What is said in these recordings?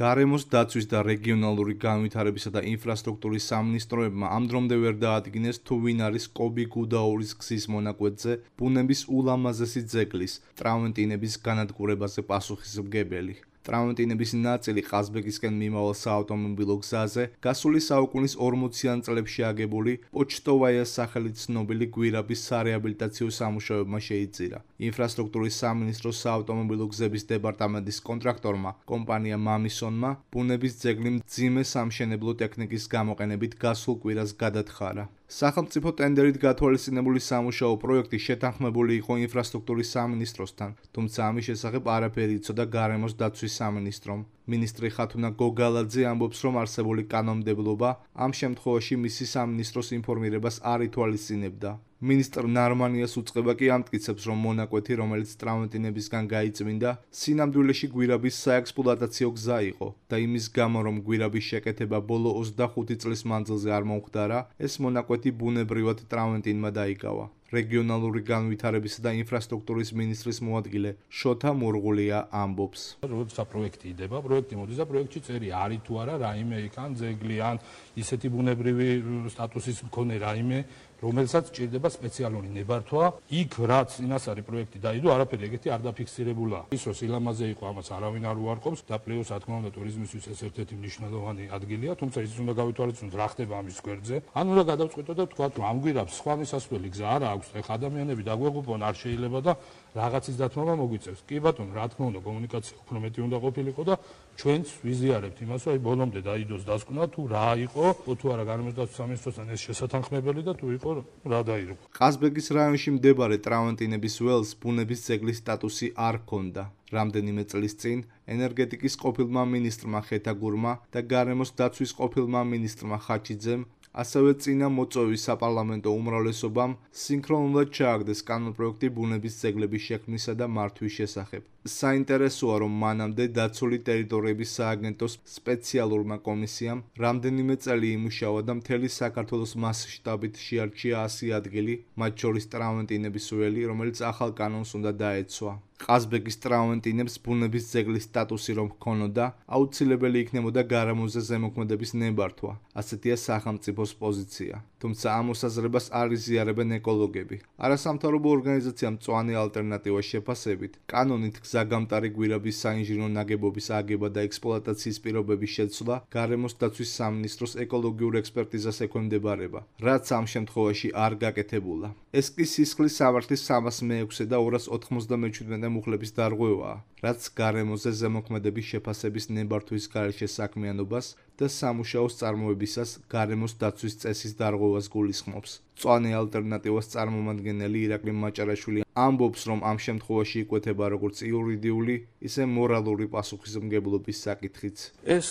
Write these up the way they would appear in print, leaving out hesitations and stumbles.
გარემოს დაცვის და რეგიონალური განვითარებისა და ინფრასტრუქტურის სამინისტროებმა ამ დრომდე ვერ დაადგინეს თუ ვინ არის კობი გუდაურის გზის მონაკვეთზე ბუნების ულამაზესი ძეგლის ტრამვენტინების განადგურებაზე პასუხისმგებელი. ტრამვენტინების ნაწილი ყაზბეგისკენ მიმავალ საავტომობილო გზაზე გასული საუკუნის 40-იან წლებში აგებული პოჩტოვაიას სახელით ცნობილი გვირაბის სარეაბილიტაციო სამუშაოებმა შეიწირა. ინფრასტრუქტურის სამინისტროს საავტომობილო გზების დეპარტამენტის კონტრაქტორმა კომპანია მამისონმა ბუნების ძეგლი მძიმე სამშენებლო ტექნიკის გამოყენებით გასულ კვირას გადათხარა. სახელმწიფო ტენდერით გათვალისწინებული სამუშაო პროექტი შეთანხმებული იყო ინფრასტრუქტურის სამინისტროსთან, თუმცა ამის შესახებ არაფერი იცოდა გარემოს დაცვის სამინისტრომ. მინისტრი ხათუნა გოგალაძე ამბობს, რომ არსებული კანონმდებლობა ამ შემთხვევაში მისი სამინისტროს ინფორმირებას არ ითვალისწინებდა. მინისტრ ნარმანიას უწყება კი ამტკიცებს, რომ მონაკვეთი, რომელიც ტრამვენტინებისგან გაიწმინდა, სინამდვილეში გვირაბის საექსპლუატაციო გზა იყო და იმის გამო, რომ გვირაბის შეკეთება ბოლო 25 წლის მანძილზე არ მომხდარა, ეს მონაკვეთი ბუნებრივად ტრამვენტინმა დაიკავა. რეგიონალური განვითარებისა და ინფრასტრუქტურის მინისტრის მოადგილე შოთა მურღულია ამბობს. როცა პროექტი იდება, პროექტი მოდის და პროექტში წერია არის თუ არა რაიმე იქ ან ძეგლი ან ისეთი ბუნებრივი სტატუსის მქონე რაიმე, რომელსაც ჭირდება სპეციალური ნებართვა. იქ რაც წინასწარი პროექტი დაიდო, არაფერი ეგეთი არ დაფიქსირებულა. ის რომ სილამაზე იყო, ამას არავინ არ უარყოფს და პლუს რა თქმა უნდა ტურიზმისთვის ეს ერთ-ერთი მნიშვნელოვანი ადგილია, თუმცა ის უნდა გავითვალისწინოთ რა ხდება ამის გვერდზე. ან უნდა გადავწყვიტოთ და ვთქვათ, რომ ამ გვირაბს სხვა მისასვლელი გზა არ აქვს, ეხა ადამიანები დაგვეღუპონ არ შეიძლება და რაღაცის დათმობა მოგვიწევს. კი ბატონო, რა თქმა უნდა კომუნიკაცია უფრო მეტი უნდა ყოფილიყო და ჩვენც ვიზიარებთ იმას, რომ ბოლომდე დაიდოს დასკვნა თუ რა იყო, თუ არა გარემოს დაცვის სამინისტროსთან ეს შესათანხმებელი და თუ იყო რა დაირღვა. ყაზბეგის რაიონში მდებარე ტრამვენტინების ველს ბუნების ძეგლის სტატუსი არ ჰქონდა. რამდენიმე წლის წინ ენერგეტიკის ყოფილმა მინისტრმა ხეთაგურმა და გარემოს დაცვის ყოფილმა მინისტრმა ხაჩიძემ ასევე წინა მოწვევის საპარლამენტო უმრავლესობამ სინქრონულად ჩააგდეს კანონპროექტი ბუნების ძეგლების შექმნისა და მართვის შესახებ. საინტერესოა, რომ მანამდე დაცული ტერიტორიების სააგენტოს სპეციალურმა კომისიამ რამდენიმე წელი იმუშავა და მთელი საქართველოს მასშტაბით შეარჩია 100 ადგილი, მათ შორის ტრამვენტინების ველი, რომელიც ახალ კანონს უნდა დაეცვა. ყაზბეგის ტრამვენტინებს ბუნების ძეგლის სტატუსი რომ ჰქონოდა, აუცილებელი იქნებოდა გარემოზე ზემოქმედების ნებართვა. ასეთია სახელმწიფოს პოზიცია. თუმცა ამ მოსაზრებას არ იზიარებენ ეკოლოგები. არასამთავრობო ორგანიზაცია მწვანე ალტერნატივა შეფასებით, კანონით გზაგამტარი გვირაბის საინჟინრო ნაგებობის აგება და ექსპლუატაციის პირობების შეცვლა გარემოს დაცვის სამინისტროს ეკოლოგიურ ექსპერტიზას ექვემდებარება, რაც ამ შემთხვევაში არ გაკეთებულა. ეს კი სისხლის სამართლის 306 და 297 მუხლების დარღვევაა, რაც გარემოზე ზემოქმედების შეფასების ნებართვის გარეშე საქმიანობას და სამუშაოს წარმოებისას გარემოს დაცვის წესის დარღვევას გულისხმობს. მწვანე ალტერნატივას წარმომადგენელი ირაკლი მაჭარაშვილი ამბობს, რომ ამ შემთხვევაში იკვეთება როგორც იურიდიული, ისე მორალური პასუხისმგებლობის საკითხიც. ეს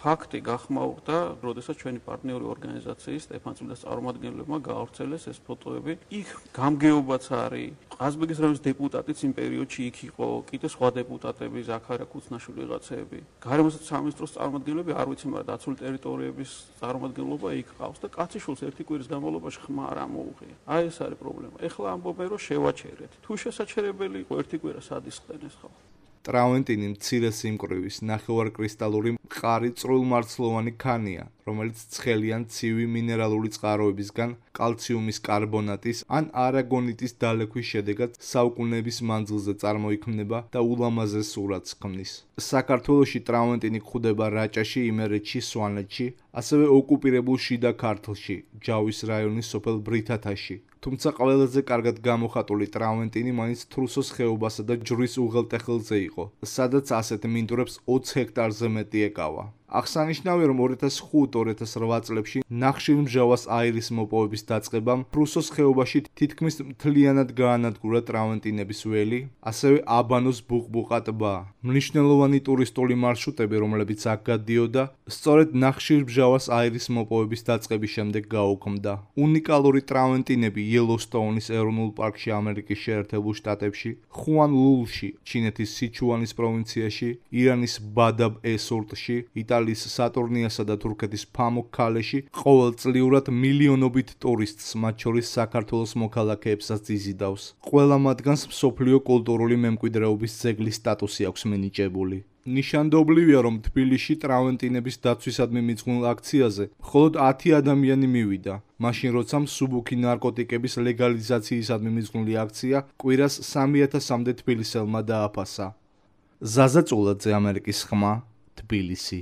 ფაქტი გახმაურდა, როდესაც ჩვენი პარტნიორი ორგანიზაციის სტეფანწმინდას წარმომადგენლებმა გაავრცელეს ეს ფოტოები. იქ გამგეობაც არის. ყაზბეგის რაიონის დეპუტატიც იმ პერიოდში იქ იყო, კიდე სხვა დეპუტატები, ზაქარია ქუცნაშვილი ვიღაცები. გარემოს სამინისტროს წარმომადგენლები არ ვიცი, მაგრამ დაცული ტერიტორიების წარმომადგენლობა იქ ყავს და კაციშვილს ერთი კვირის განმავლობაში ხმა არ ამოუღია. აი ეს არის პრობლემა. ეხლა ამბობენ, რომ შევაჩერეთ. თუ შესაჩერებელი იყო ერთი კვირა სად ისხდნენ ეს ხალხი? ტრამვენტინი მცირე სიმკვრივის, ნახევარკრისტალური მყარი წვრილმარცვლოვანი ქანია, რომელიც ცხელი ან ცივი მინერალური წყაროებისგან კალციუმის კარბონატის ან არაგონიტის დალექვის შედეგად საუკუნეების მანძილზე წარმოიქმნება და ულამაზეს სურათს ქმნის. საქართველოში ტრამვენტინი გვხვდება რაჭაში, იმერეთში, სვანეთში, ასევე ოკუპირებულ შიდა ქართლში, ჯავის რაიონის სოფელ ბრითათაში. თუმცა ყველაზე კარგად გამოხატული ტრამვენტინი მაინც თრუსოს ხეობასა და ჯვრის უღელტეხილზე იყო, სადაც ასეთ მინდვრებს 20 ჰექტარზე მეტი ეკავა. აღსანიშნავია, რომ 2005-2008 წლებში ნახშირმჟავას აირის მოპოვების დაწყებამ თრუსოს ხეობაში თითქმის მთლიანად გაანადგურა ტრამვენტინების ველი, ასევე აბანოს ბუყბუყა ტბა. მნიშვნელოვანი ტურისტული მარშრუტები, რომლებიც აქ გადიოდა, სწორედ ნახშირმჟავას აირის მოპოვების დაწყების შემდეგ გაუქმდა. უნიკალური ტრამვენტინები იელოსტოუნის ეროვნულ პარკში ამერიკის შეერთებულ შტატებში, ხუან-ლულში, ჩინეთის სიჩუანის პროვინციაში, ირანის ბადაბ-ე-სურტში, იტალიის სატურნიასა და თურქეთის ფამუქ-ქალეში ყოველწლიურად მილიონობით ტურისტს, მათ შორის საქართველოს მოქალაქეებსაც იზიდავს. ყველა მათგანს მსოფლიო კულტურული მემკვიდრეობის ძეგლის სტატუსი აქვს მინიჭებული. ნიშანდობლივია, რომ თბილისში ტრავენტინების დაცვისადმი მიძღვნილ აქციაზე მხოლოდ 10 ადამიანი მივიდა, მაშინ როცა მსუბუქი ნარკოტიკების ლეგალიზაციისადმი მიძღვნილი აქცია კვირას 3000-მდე თბილისელმა დააფასა. ზაზა წულაძე, ამერიკის ხმა, თბილისი.